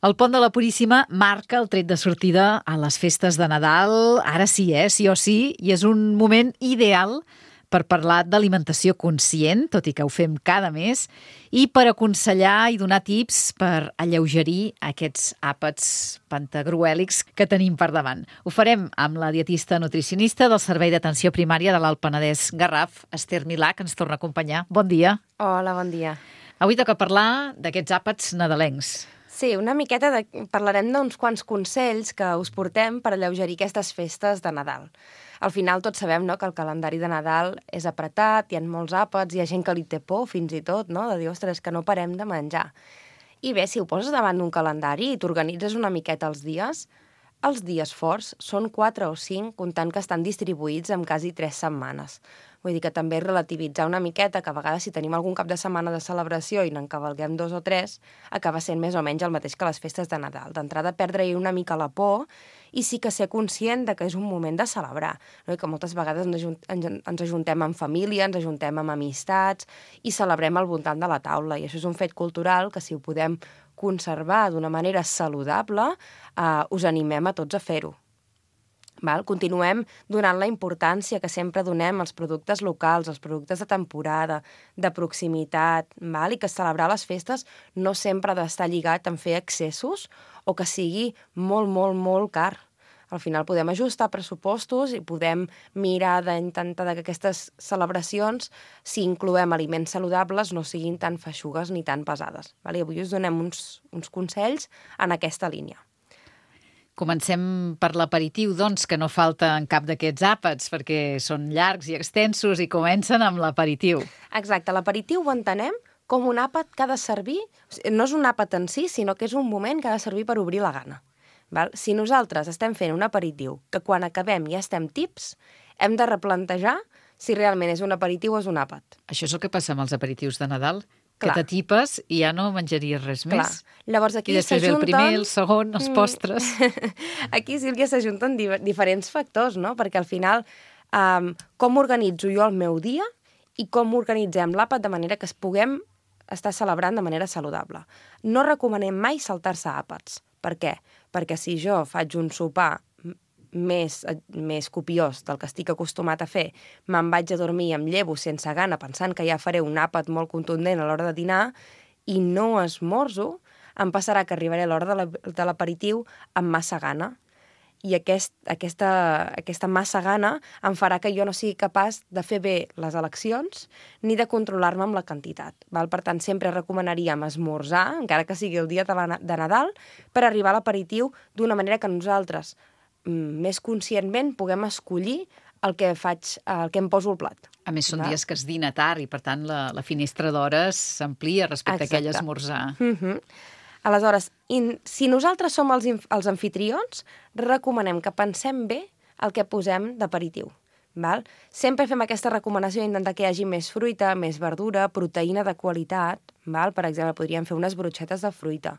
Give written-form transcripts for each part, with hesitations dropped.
El Pont de la Puríssima marca el tret de sortida a les festes de Nadal. Ara sí, sí o sí, i és un moment ideal per parlar d'alimentació conscient, tot i que ho fem cada mes, i per aconsellar i donar tips per alleugerir aquests àpats pantagruèlics que tenim per davant. Ho farem amb la dietista nutricionista del Servei d'Atenció Primària de l'Alt Penedès Garraf, Esther Milà, que ens torna a acompanyar. Bon dia. Hola, bon dia. Avui toca parlar d'aquests àpats nadalencs. Sí, una miqueta parlarem d'uns quants consells que us portem per alleugerir aquestes festes de Nadal. Al final tots sabem, no?, que el calendari de Nadal és apretat, hi ha molts àpats, hi ha gent que li té por fins i tot, no?, de dir, ostres, que no parem de menjar. I bé, si ho poses davant d'un calendari i t'organitzes una miqueta els dies forts són 4 o 5, comptant que estan distribuïts en quasi 3 setmanes. Vull dir que també relativitzar una miqueta, que a vegades si tenim algun cap de setmana de celebració i n'encavalguem 2 o 3, acaba sent més o menys el mateix que les festes de Nadal. D'entrada, perdre-hi una mica la por i sí que ser conscient de que és un moment de celebrar. No? I que moltes vegades ens ajuntem amb família, ens ajuntem amb amistats i celebrem al voltant de la taula. I això és un fet cultural que si ho podem conservar d'una manera saludable, us animem a tots a fer-ho. Continuem donant la importància que sempre donem als productes locals, als productes de temporada, de proximitat, i que celebrar les festes no sempre ha d'estar lligat en fer excessos o que sigui molt, molt, molt car. Al final podem ajustar pressupostos i podem mirar d'intentar que aquestes celebracions, si incloem aliments saludables, no siguin tan feixugues ni tan pesades. I avui us donem uns consells en aquesta línia. Comencem per l'aperitiu, doncs, que no falta en cap d'aquests àpats, perquè són llargs i extensos i comencen amb l'aperitiu. Exacte, l'aperitiu ho entenem com un àpat que ha de servir, no és un àpat en si, sinó que és un moment que ha de servir per obrir la gana. Si nosaltres estem fent un aperitiu que quan acabem ja estem tips, hem de replantejar si realment és un aperitiu o és un àpat. Això és el que passa amb els aperitius de Nadal? Que t'atipes i ja no menjaries res més. Llavors aquí i després ve el primer, el segon, els postres. Aquí, Sílvia, s'ajunten diferents factors, no? Perquè al final, com organitzo jo el meu dia i com organitzem l'àpat de manera que es puguem estar celebrant de manera saludable. No recomanem mai saltar-se àpats. Per què? Perquè si jo faig un sopar més copiós del que estic acostumat a fer, me'n vaig a dormir i em llevo sense gana pensant que ja faré un àpat molt contundent a l'hora de dinar i no esmorzo, em passarà que arribaré a l'hora de l'aperitiu amb massa gana. I aquesta massa gana em farà que jo no sigui capaç de fer bé les eleccions ni de controlar-me amb la quantitat. Per tant, sempre recomanaríem esmorzar, encara que sigui el dia de Nadal, per arribar a l'aperitiu d'una manera que nosaltres més conscientment puguem escollir el que em poso al plat. A més, són dies que es dina tard i, per tant, la finestra d'hores s'amplia respecte a aquell esmorzar. Aleshores, si nosaltres som els anfitrions, recomanem que pensem bé el que posem d'aperitiu. Sempre fem aquesta recomanació d'intentar que hi hagi més fruita, més verdura, proteïna de qualitat. Per exemple, podríem fer unes brotxetes de fruita,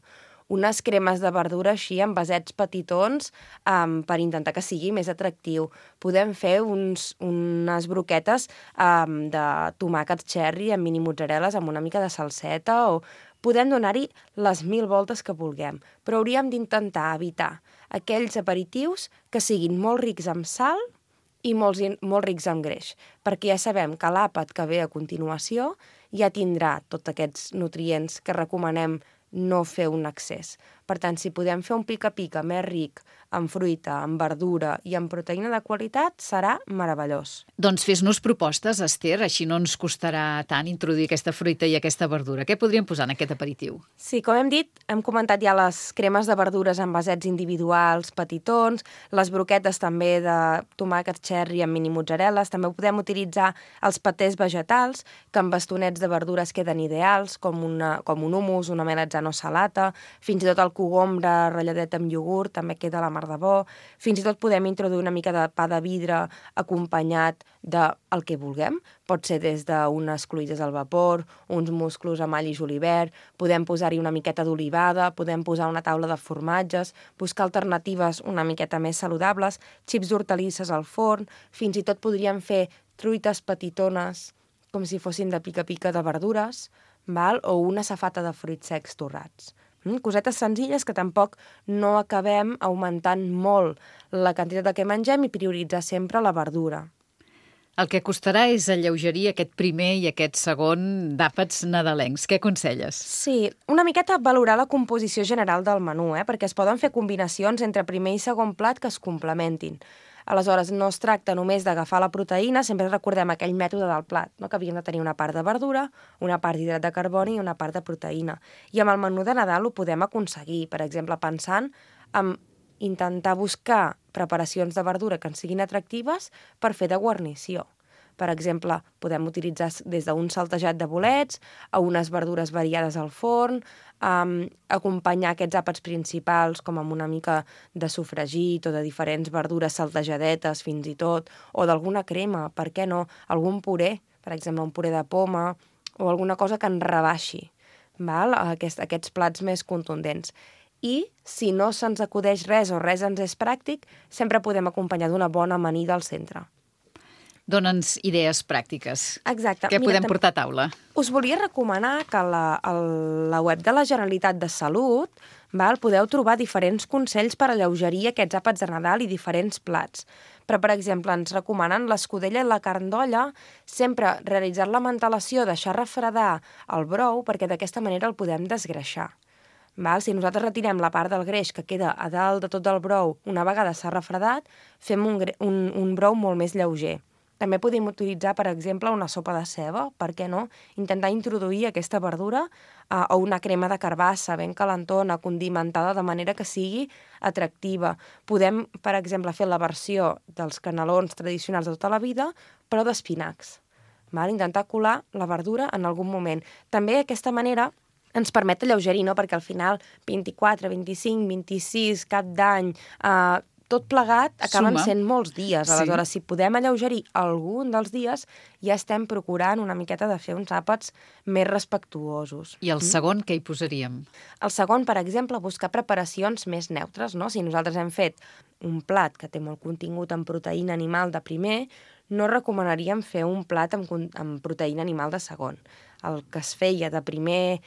unes cremes de verdura així en vasets petitons per intentar que sigui més atractiu. Podem fer unes broquetes de tomàquets cherry amb mini mozzarelles amb una mica de salseta o podem donar-hi les 1000 voltes que vulguem, però hauríem d'intentar evitar aquells aperitius que siguin molt rics en sal i molt rics en greix, perquè ja sabem que l'àpat que ve a continuació ja tindrà tots aquests nutrients que recomanem no fer un excés. Per tant, si podem fer un pica-pica més ric en fruita, en verdura i en proteïna de qualitat, serà meravellós. Doncs fes-nos propostes, Esther, així no ens costarà tant introduir aquesta fruita i aquesta verdura. Què podríem posar en aquest aperitiu? Sí, com hem dit, hem comentat ja les cremes de verdures en vasets individuals, petitons, les broquetes també de tomàquets cherry amb mini mozzarelles, també podem utilitzar els patés vegetals, que amb bastonets de verdures queden ideals, com un hummus, una melanzana salata, fins i tot el cogombre ratlladet amb iogurt, també queda la mar de bo. Fins i tot podem introduir una mica de pa de vidre acompanyat del que vulguem. Pot ser des d'unes cloïdes al vapor, uns musclos amb all i julivert, podem posar-hi una miqueta d'olivada, podem posar una taula de formatges, buscar alternatives una miqueta més saludables, xips d'hortalisses al forn, fins i tot podríem fer truites petitones com si fossin de pica-pica de verdures, o una safata de fruits secs torrats. Cosetes senzilles que tampoc no acabem augmentant molt la quantitat del que mengem i prioritzar sempre la verdura. El que costarà és alleugerir aquest primer i aquest segon d'àpats nadalencs. Què aconselles? Sí, una miqueta valorar la composició general del menú, perquè es poden fer combinacions entre primer i segon plat que es complementin. Aleshores, no es tracta només d'agafar la proteïna, sempre recordem aquell mètode del plat, no? Que havíem de tenir una part de verdura, una part d'hidrat de carboni i una part de proteïna. I amb el menú de Nadal ho podem aconseguir, per exemple, pensant en intentar buscar preparacions de verdura que ens siguin atractives per fer de guarnició. Per exemple, podem utilitzar des d'un saltejat de bolets a unes verdures variades al forn, acompanyar aquests àpats principals com amb una mica de sofregit o de diferents verdures saltejadetes fins i tot, o d'alguna crema, per què no? Algun puré, per exemple, un puré de poma o alguna cosa que ens rebaixi, val? Aquests plats més contundents. I, si no se'ns acudeix res o res ens és pràctic, sempre podem acompanyar d'una bona amanida al centre. Dóna'ns idees pràctiques. Exacte. Què podem portar a taula? Us volia recomanar que a la web de la Generalitat de Salut podeu trobar diferents consells per alleugerir aquests àpats de Nadal i diferents plats. Però, per exemple, ens recomanen l'escudella i la carn d'olla, sempre realitzar la mantelació, deixar refredar el brou, perquè d'aquesta manera el podem desgreixar. Si nosaltres retirem la part del greix que queda a dalt de tot el brou, una vegada s'ha refredat, fem un brou molt més lleuger. També podem utilitzar, per exemple, una sopa de ceba, per què no? Intentar introduir aquesta verdura o una crema de carbassa ben calentona, condimentada de manera que sigui atractiva. Podem, per exemple, fer la versió dels canelons tradicionals de tota la vida, però d'espinacs. Intentar colar la verdura en algun moment. També d'aquesta manera ens permet alleugerir, no? Perquè al final 24, 25, 26, cap d'any, tot plegat acaben sent molts dies. Aleshores, si podem alleugerir algun dels dies, ja estem procurant una miqueta de fer uns àpats més respectuosos. I el segon, què hi posaríem? El segon, per exemple, buscar preparacions més neutres, no? Si nosaltres hem fet un plat que té molt contingut en proteïna animal de primer, no recomanaríem fer un plat amb proteïna animal de segon. El que es feia de primer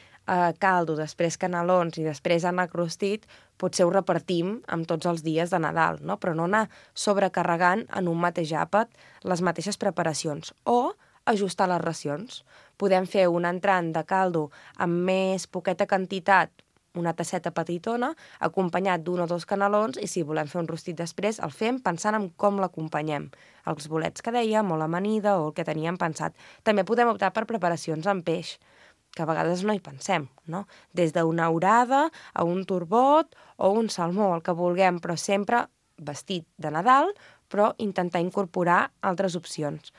caldo, després canelons i després ànec rostit, potser ho repartim amb tots els dies de Nadal, no? Però no anar sobrecarregant en un mateix àpat les mateixes preparacions. O ajustar les racions. Podem fer un entrant de caldo amb més poqueta quantitat, una tasseta petitona, acompanyat d'un o dos canelons, i si volem fer un rostit després, el fem pensant en com l'acompanyem. Els bolets que dèiem, o l'amanida, o el que teníem pensat. També podem optar per preparacions amb peix, que a vegades no hi pensem, no? Des d'una orada a un turbot o un salmó, el que vulguem, però sempre vestit de Nadal, però intentar incorporar altres opcions.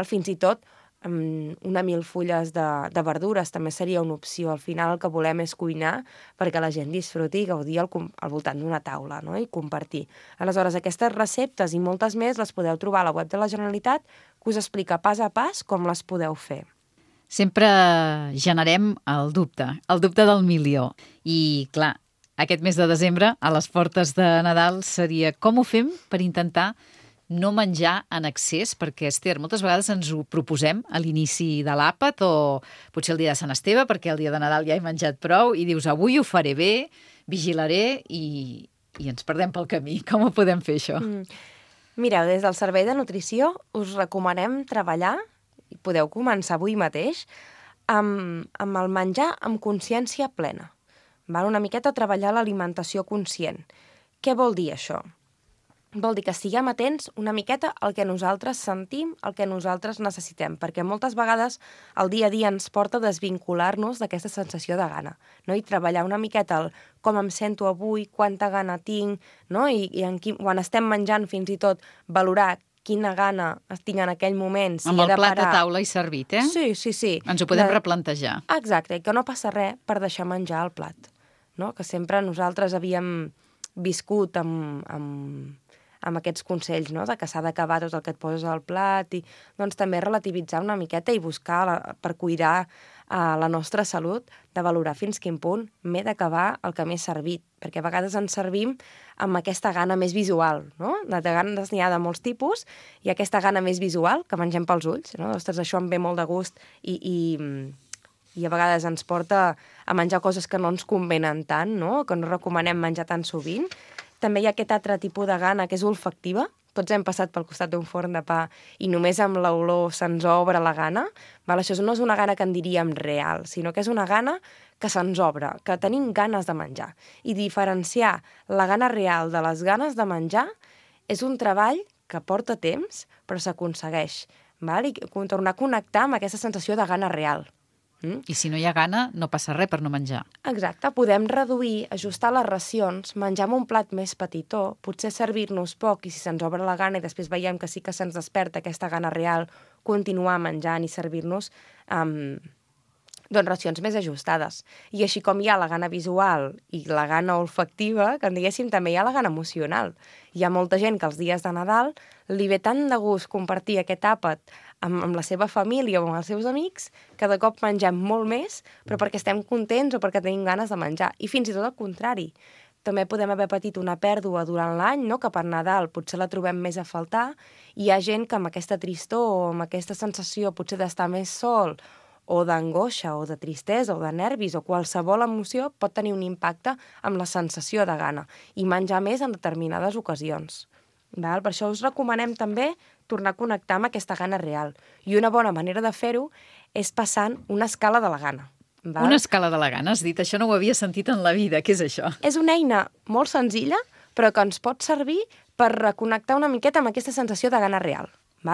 Fins i tot una milfulles de verdures també seria una opció. Al final el que volem és cuinar perquè la gent disfruti i gaudir al voltant d'una taula, no? I compartir. Aleshores, aquestes receptes i moltes més les podeu trobar a la web de la Generalitat, que us explica pas a pas com les podeu fer. Sempre generem el dubte del milió. I, clar, aquest mes de desembre, a les portes de Nadal, seria com ho fem per intentar no menjar en excés, perquè, Esther, moltes vegades ens ho proposem a l'inici de l'àpat o potser el dia de Sant Esteve, perquè el dia de Nadal ja he menjat prou, i dius, avui ho faré bé, vigilaré, i ens perdem pel camí. Com ho podem fer, això? Mireu, des del Servei de Nutrició us recomanem treballar, i podeu començar avui mateix, amb el menjar amb consciència plena. Una miqueta treballar l'alimentació conscient. Què vol dir això? Vol dir que estiguem atents una miqueta al que nosaltres sentim, al que nosaltres necessitem, perquè moltes vegades el dia a dia ens porta a desvincular-nos d'aquesta sensació de gana, no? I treballar una miqueta el com em sento avui, quanta gana tinc, no? I quan estem menjant fins i tot valorar quina gana tinc en aquell moment. Si amb el plat a taula i servit, eh? Sí. Ens ho podem replantejar. Exacte, i que no passa res per deixar menjar el plat, no? Que sempre nosaltres havíem viscut amb aquests consells, no? De que s'ha d'acabar tot el que et poses al plat, i doncs també relativitzar una miqueta i buscar, per cuidar la nostra salut, de valorar fins quin punt m'he d'acabar el que m'he servit, perquè a vegades ens servim amb aquesta gana més visual, no? De ganes n'hi ha de molts tipus, i aquesta gana més visual, que mengem pels ulls, no? Ostres, això em ve molt de gust, i i a vegades ens porta a menjar coses que no ens convenen tant, no? Que no recomanem menjar tan sovint. També hi ha aquest altre tipus de gana que és olfactiva. Tots hem passat pel costat d'un forn de pa i només amb l'olor se'ns obre la gana. Això no és una gana que en diríem real, sinó que és una gana que se'ns obre, que tenim ganes de menjar. I diferenciar la gana real de les ganes de menjar és un treball que porta temps, però s'aconsegueix. I tornar a connectar amb aquesta sensació de gana real. I si no hi ha gana, no passa res per no menjar. Exacte, podem reduir, ajustar les racions, menjar amb un plat més petitó, potser servir-nos poc i si se'ns obre la gana i després veiem que sí que se'ns desperta aquesta gana real, continuar menjant i servir-nos racions més ajustades. I així com hi ha la gana visual i la gana olfactiva, que en diguéssim també hi ha la gana emocional. Hi ha molta gent que els dies de Nadal li ve tant de gust compartir aquest àpat amb la seva família o amb els seus amics, que de cop mengem molt més, però perquè estem contents o perquè tenim ganes de menjar. I fins i tot al contrari. També podem haver patit una pèrdua durant l'any, no? Que per Nadal potser la trobem més a faltar, i hi ha gent que amb aquesta tristor o amb aquesta sensació potser d'estar més sol o d'angoixa o de tristesa o de nervis o qualsevol emoció pot tenir un impacte amb la sensació de gana i menjar més en determinades ocasions. Per això us recomanem també tornar a connectar amb aquesta gana real. I una bona manera de fer-ho és passant una escala de la gana. Una escala de la gana, has dit? Això no ho havia sentit en la vida. Què és això? És una eina molt senzilla, però que ens pot servir per reconnectar una miqueta amb aquesta sensació de gana real.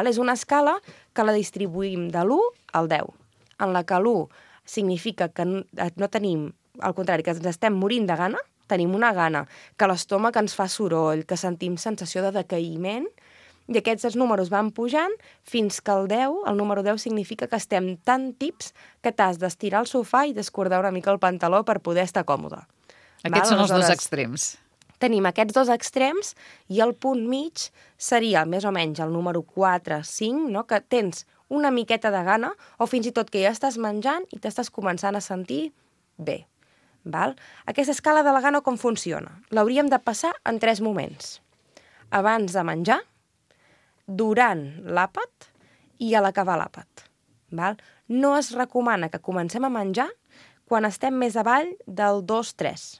És una escala que la distribuïm de l'1 al 10, en la que l'1 significa que no tenim, al contrari, que ens estem morint de gana, tenim una gana, que l'estómac ens fa soroll, que sentim sensació de decaïment, i aquests números van pujant fins que el número 10 significa que estem tan tips que t'has d'estirar al sofà i descordar una mica el pantaló per poder estar còmode. Aquests són els dos extrems. Tenim aquests dos extrems i el punt mig seria més o menys el número 4, 5, no? Que tens una miqueta de gana o fins i tot que ja estàs menjant i t'estàs començant a sentir bé. Aquesta escala de la gana com funciona? L'hauríem de passar en 3 moments. Abans de menjar, durant l'àpat i a l'acabar l'àpat. No es recomana que comencem a menjar quan estem més avall del 2-3.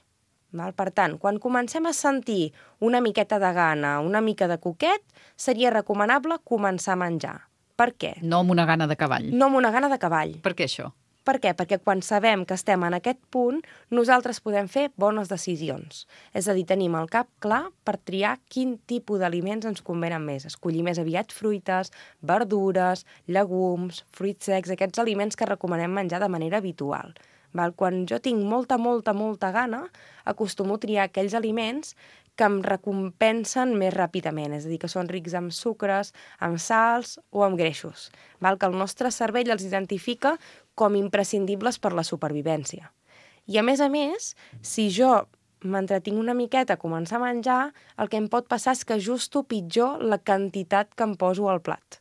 Per tant, quan comencem a sentir una miqueta de gana, una mica de coquet, seria recomanable començar a menjar. Per què? No amb una gana de cavall. No amb una gana de cavall. Per què això? Per què? Perquè quan sabem que estem en aquest punt, nosaltres podem fer bones decisions. És a dir, tenim el cap clar per triar quin tipus d'aliments ens convenen més. Escollir més aviat fruites, verdures, llegums, fruits secs, aquests aliments que recomanem menjar de manera habitual. Quan jo tinc molta gana, acostumo a triar aquells aliments que em recompensen més ràpidament, és a dir, que són rics en sucres, amb sals o amb greixos, que el nostre cervell els identifica com imprescindibles per la supervivència. I a més, si jo m'entretinc una miqueta a començar a menjar, el que em pot passar és que ajusto pitjor la quantitat que em poso al plat.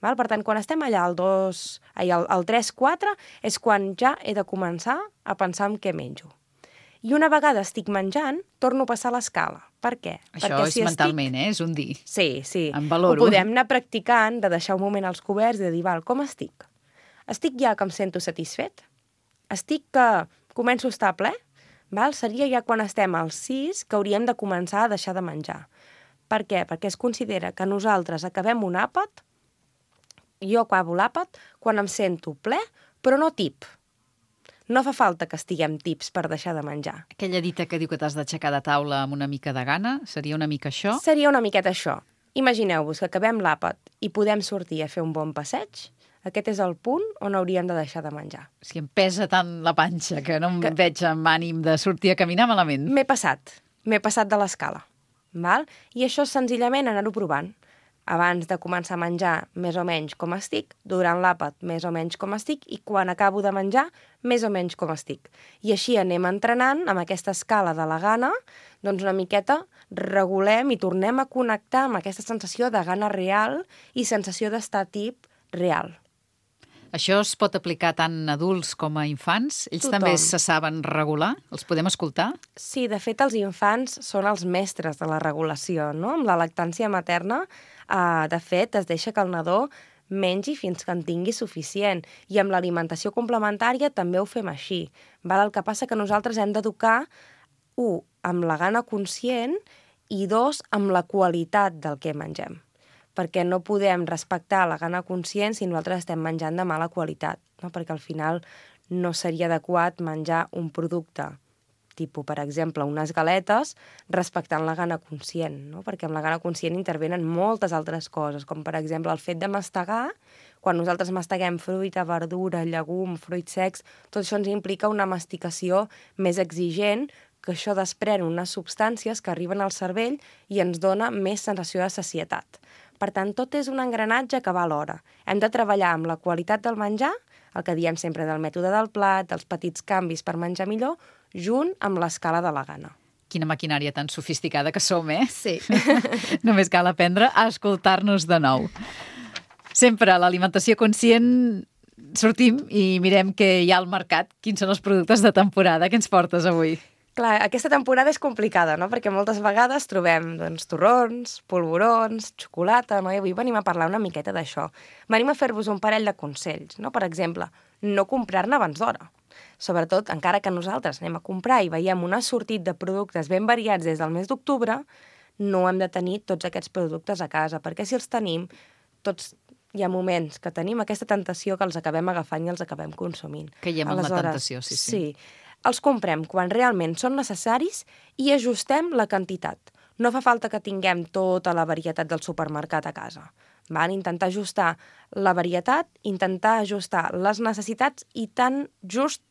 Per tant, quan estem allà al 3-4 és quan ja he de començar a pensar en què menjo. I una vegada estic menjant, torno a passar l'escala. Per què? Això és mentalment, és un dir. Sí. En valoro. Ho podem anar practicant, de deixar un moment als coberts i de dir, com estic? Estic ja que em sento satisfet? Estic que començo a estar ple? Seria ja quan estem al 6 que hauríem de començar a deixar de menjar. Per què? Perquè es considera que nosaltres acabem un àpat, jo acabo l'àpat quan em sento ple, però no tip. No fa falta que estiguem tips per deixar de menjar. Aquella dita que diu que t'has d'aixecar de taula amb una mica de gana, seria una mica això? Seria una miqueta això. Imagineu-vos que acabem l'àpat i podem sortir a fer un bon passeig. Aquest és el punt on hauríem de deixar de menjar. Si em pesa tant la panxa que no em veig amb ànim de sortir a caminar malament. M'he passat de l'escala. I això és senzillament anar-ho provant. Abans de començar a menjar, més o menys com estic, durant l'àpat, més o menys com estic, i quan acabo de menjar, més o menys com estic. I així anem entrenant amb aquesta escala de la gana, doncs una miqueta regulem i tornem a connectar amb aquesta sensació de gana real i sensació d'estar tip real. Això es pot aplicar tant a adults com a infants? Ells també se saben regular? Els podem escoltar? Sí, de fet, els infants són els mestres de la regulació, no? Amb la lactància materna, de fet, es deixa que el nadó mengi fins que en tingui suficient. I amb l'alimentació complementària també ho fem així. Val? El que passa que nosaltres hem d'educar, amb la gana conscient i 2, amb la qualitat del que mengem. Perquè no podem respectar la gana conscient si nosaltres estem menjant de mala qualitat, no? Perquè al final no seria adequat menjar un producte tipus, per exemple, unes galetes, respectant la gana conscient, no? Perquè amb la gana conscient intervenen moltes altres coses, com per exemple el fet de mastegar. Quan nosaltres masteguem fruita, verdura, llegum, fruits secs, tot això ens implica una masticació més exigent, que això desprèn unes substàncies que arriben al cervell i ens dona més sensació de sacietat. Per tant, tot és un engranatge que va alhora. Hem de treballar amb la qualitat del menjar, el que diem sempre del mètode del plat, dels petits canvis per menjar millor, junt amb l'escala de la gana. Quina maquinària tan sofisticada que som, eh? Sí. Només cal aprendre a escoltar-nos de nou. Sempre a l'alimentació conscient sortim i mirem què hi ha al mercat. Quins són els productes de temporada? Què ens portes avui? Clar, aquesta temporada és complicada, no? Perquè moltes vegades trobem torrons, polvorons, xocolata, no? I avui venim a parlar una miqueta d'això. Venim a fer-vos un parell de consells, no? Per exemple, no comprar-ne abans d'hora. Sobretot, encara que nosaltres anem a comprar i veiem un assortit de productes ben variats des del mes d'octubre, no hem de tenir tots aquests productes a casa, perquè si els tenim, hi ha moments que tenim aquesta tentació que els acabem agafant i els acabem consumint. Caiem en la tentació, sí. Sí. Els comprem quan realment són necessaris i ajustem la quantitat. No fa falta que tinguem tota la varietat del supermercat a casa. Val? Intentar ajustar la varietat, intentar ajustar les necessitats i tan just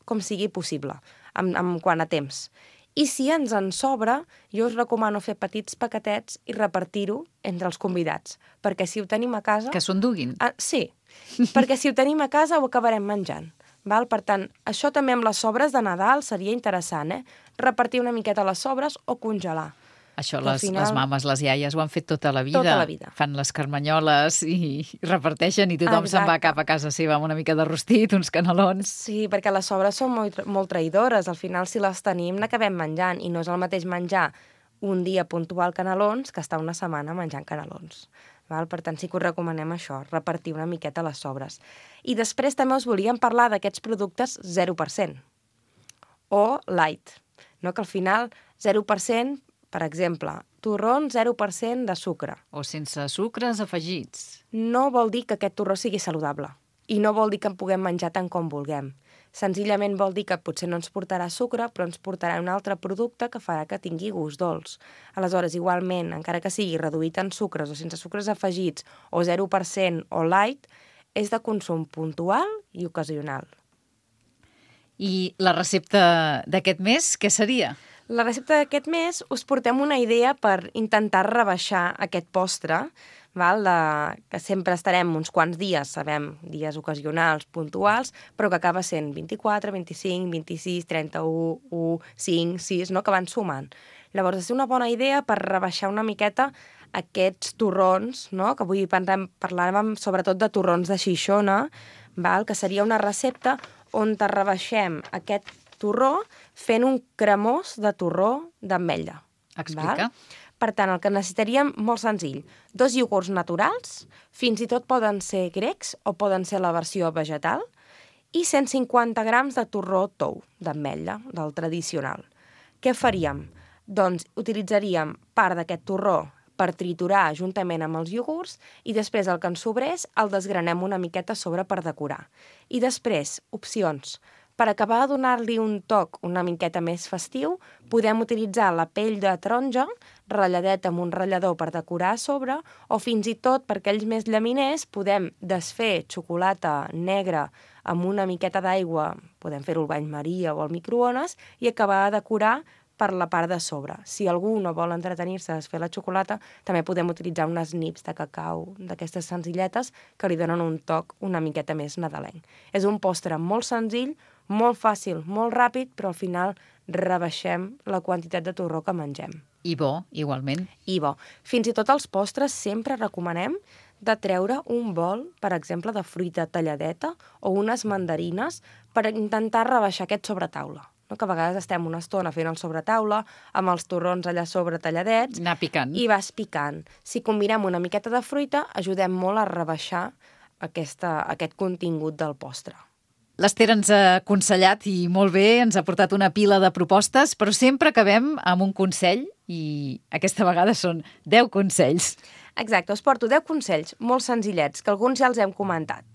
com sigui possible, en quant a temps. I si ens en sobra, jo us recomano fer petits paquetets i repartir-ho entre els convidats, perquè si ho tenim a casa... Que s'ho enduguin. Sí, perquè si ho tenim a casa ho acabarem menjant. Val? Per tant, això també amb les sobres de Nadal seria interessant, repartir una miqueta les sobres o congelar. Això les mames, les iaies ho han fet tota la vida. Tota la vida. Fan les carmanyoles i reparteixen i tothom se'n va cap a casa seva amb una mica de rostit, uns canelons. Sí, perquè les sobres són molt traïdores. Al final, si les tenim, n'acabem menjant. I no és el mateix menjar un dia puntual canelons que estar una setmana menjant canelons. Val? Per tant, sí que us recomanem això, repartir una miqueta les sobres. I després també us volíem parlar d'aquests productes 0% o light, no? Que al final 0%, per exemple, torrón 0% de sucre. O sense sucres afegits. No vol dir que aquest torró sigui saludable i no vol dir que en puguem menjar tant com vulguem. Senzillament vol dir que potser no ens portarà sucre, però ens portarà un altre producte que farà que tingui gust dolç. Aleshores, igualment, encara que sigui reduït en sucres o sense sucres afegits, o 0% o light, és de consum puntual i ocasional. I la recepta d'aquest mes, què seria? La recepta d'aquest mes us portem una idea per intentar rebaixar aquest postre, val? Que sempre estarem uns quants dies, sabem, dies ocasionals, puntuals, però que acaba sent 24, 25, 26, 31, 1, 5, 6, no? Que van sumant. Llavors, és una bona idea per rebaixar una miqueta aquests torrons, no? Que avui parlàvem sobretot de torrons de Xixona, val? Que seria una recepta on rebaixem aquest torró fent un cremós de torró d'ametlla. Explica. Val? Per tant, el que necessitaríem, molt senzill, 2 iogurts naturals, fins i tot poden ser grecs o poden ser la versió vegetal, i 150 grams de torró tou, d'ametlla, del tradicional. Què faríem? Doncs utilitzaríem part d'aquest torró per triturar juntament amb els iogurts i després el que ens sobrés el desgranem una miqueta a sobre per decorar. I després, opcions. Per acabar de donar-li un toc una miqueta més festiu, podem utilitzar la pell de taronja, ratlladeta amb un ratllador per decorar a sobre, o fins i tot, per aquells més llaminers, podem desfer xocolata negra amb una miqueta d'aigua, podem fer-ho al bany Maria o al microones, i acabar de decorar per la part de sobre. Si algú no vol entretenir-se a desfer la xocolata, també podem utilitzar unes nips de cacau, d'aquestes senzilletes, que li donen un toc una miqueta més nadalenc. És un postre molt senzill, molt fàcil, molt ràpid, però al final rebaixem la quantitat de torró que mengem. I bo, igualment. I bo. Fins i tot els postres sempre recomanem de treure un bol, per exemple, de fruita talladeta o unes mandarines per intentar rebaixar aquest sobretaula. No? Que a vegades estem una estona fent el sobretaula, amb els torrons allà sobre talladets. Anar picant. I vas picant. Si combinem una miqueta de fruita, ajudem molt a rebaixar aquest contingut del postre. L'Ester ens ha aconsellat i molt bé, ens ha portat una pila de propostes, però sempre acabem amb un consell i aquesta vegada són 10 consells. Exacte, us porto 10 consells molt senzillets, que alguns ja els hem comentat.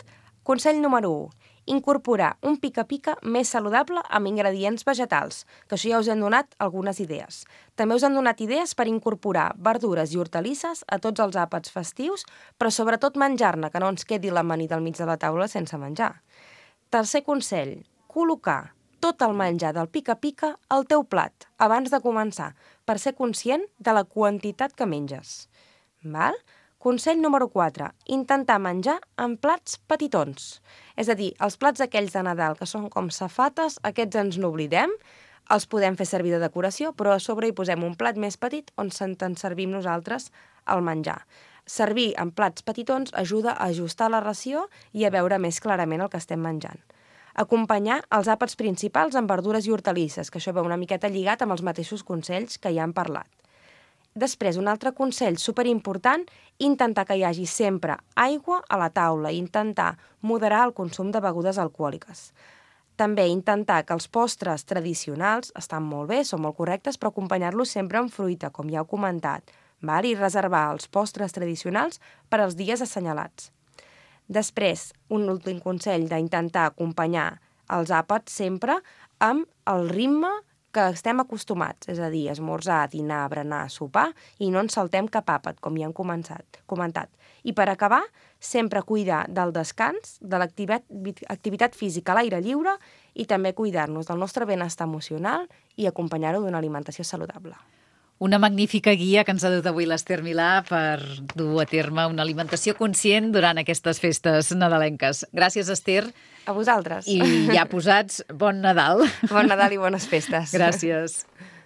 Consell número 1. Incorporar un pica-pica més saludable amb ingredients vegetals, que això ja us hem donat algunes idees. També us han donat idees per incorporar verdures i hortalisses a tots els àpats festius, però sobretot menjar-ne, que no ens quedi l'amanida al mig de la taula sense menjar. Tercer consell, col·locar tot el menjar del pica-pica al teu plat abans de començar, per ser conscient de la quantitat que menges. Val? Consell número 4, intentar menjar en plats petitons. És a dir, els plats aquells de Nadal que són com safates, aquests ens n'oblidem, els podem fer servir de decoració, però a sobre hi posem un plat més petit on se'n servim nosaltres el menjar. Servir en plats petitons ajuda a ajustar la ració i a veure més clarament el que estem menjant. Acompanyar els àpats principals amb verdures i hortalisses, que això va una miqueta lligat amb els mateixos consells que ja hem parlat. Després, un altre consell superimportant, intentar que hi hagi sempre aigua a la taula i intentar moderar el consum de begudes alcohòliques. També intentar que els postres tradicionals estan molt bé, són molt correctes, però acompanyar-los sempre amb fruita, com ja heu comentat, i reservar els postres tradicionals per als dies assenyalats. Després, un últim consell d'intentar acompanyar els àpats sempre amb el ritme que estem acostumats, és a dir, esmorzar, dinar, berenar, sopar, i no ens saltem cap àpat, com ja hem comentat. I per acabar, sempre cuidar del descans, de l'activitat física a l'aire lliure i també cuidar-nos del nostre benestar emocional i acompanyar-ho d'una alimentació saludable. Una magnífica guia que ens ha dut avui l'Ester Milà per dur a terme una alimentació conscient durant aquestes festes nadalenques. Gràcies,Ester. A vosaltres. I ja posats, bon Nadal. Bon Nadal i bones festes. Gràcies.